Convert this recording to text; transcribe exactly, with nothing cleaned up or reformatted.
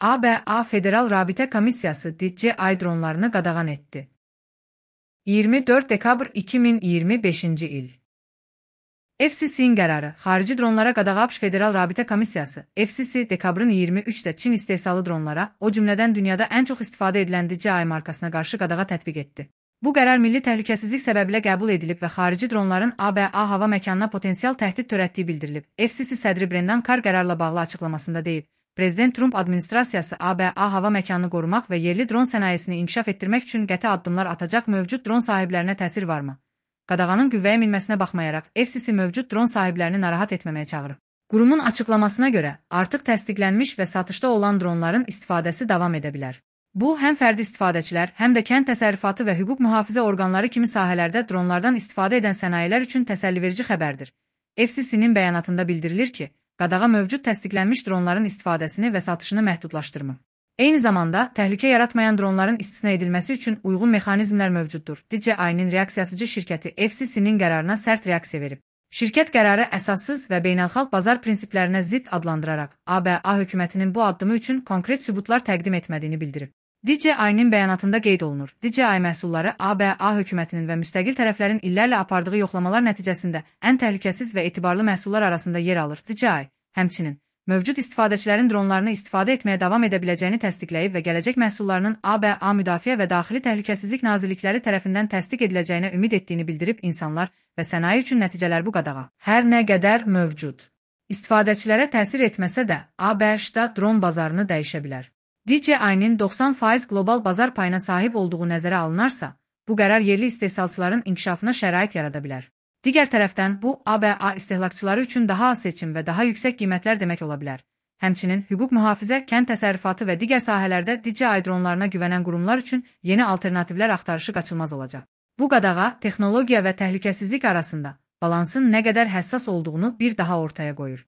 A B A Federal Rabitə Komissiyası D C I dronlarını qadağan etdi. iyirmi dörd dekabr iki min iyirmi beşinci il. F C C'nin qərarı, xarici dronlara qadağa ABŞ Federal Rabitə Komissiyası, F C C dekabrın iyirmi üçdə Çin istehsalı dronlara, o cümlədən dünyada ən çox istifadə edilən D C I markasına qarşı qadağa tətbiq etdi. Bu qərar milli təhlükəsizlik səbəbilə qəbul edilib və xarici dronların A B A hava məkanına potensial təhdid törətdiyi bildirilib. F C C sədri Brendan Carr qərarla bağlı açıqlamasında deyib, Prezident Trump administrasiyası A B A hava məkanını qorumaq və yerli dron sənayesini inkişaf etdirmək üçün qəti addımlar atacaq. Mövcud dron sahiblərinə təsir varmı? Qadağanın qüvvəyə minməsinə baxmayaraq, F C C mövcud dron sahiblərini narahat etməməyə çağırıb. Qurumun açıqlamasına görə, artıq təsdiqlənmiş və satışda olan dronların istifadəsi davam edə bilər. Bu, həm fərdi istifadəçilər, həm də kənd təsərrüfatı və hüquq mühafizə orqanları kimi sahələrdə dronlardan istifadə edən sənayilər üçün təsəlliverici xəbərdir. F C C'nin bəyanatında bildirilir ki, qadağa mövcud təsdiqlənmiş dronların istifadəsini və satışını məhdudlaşdırmır. Eyni zamanda, təhlükə yaratmayan dronların istisna edilməsi üçün uyğun mexanizmlər mövcuddur. D C I-nin reaksiyasıcı şirkəti F C C'nin qərarına sərt reaksiya verib. Şirkət qərarı əsassız və beynəlxalq bazar prinsiplərinə zidd adlandıraraq, A B A hökumətinin bu addımı üçün konkret sübutlar təqdim etmədiyini bildirib. D C I-nin bəyanatında qeyd olunur. D C I məhsulları A B A hökumətinin və müstəqil tərəflərin illərlə apardığı yoxlamalar nəticəsində ən təhlükəsiz və etibarlı məhsullar arasında yer alır. D C I, həmçinin, mövcud istifadəçilərin dronlarını istifadə etməyə davam edə biləcəyini təsdiqləyib və gələcək məhsullarının A B A Müdafiə və Daxili Təhlükəsizlik Nazirlikləri tərəfindən təsdiq ediləcəyinə ümid etdiyini bildirib. İnsanlar və sənaye üçün nəticələr bu qadağa hər nə qədər mövcud istifadəçilərə təsir etməsə də, A B A-da dron bazarını dəyişə bilər. D C I-nin doxsan faiz qlobal bazar payına sahib olduğu nəzərə alınarsa, bu qərar yerli istehsalçıların inkişafına şərait yarada bilər. Digər tərəfdən, bu, A B A istehlakçıları üçün daha az seçim və daha yüksək qiymətlər demək ola bilər. Həmçinin, hüquq mühafizə, kənd təsərrüfatı və digər sahələrdə D C I dronlarına güvənən qurumlar üçün yeni alternativlər axtarışı qaçılmaz olacaq. Bu qadağa, texnologiya və təhlükəsizlik arasında balansın nə qədər həssas olduğunu bir daha ortaya qoyur.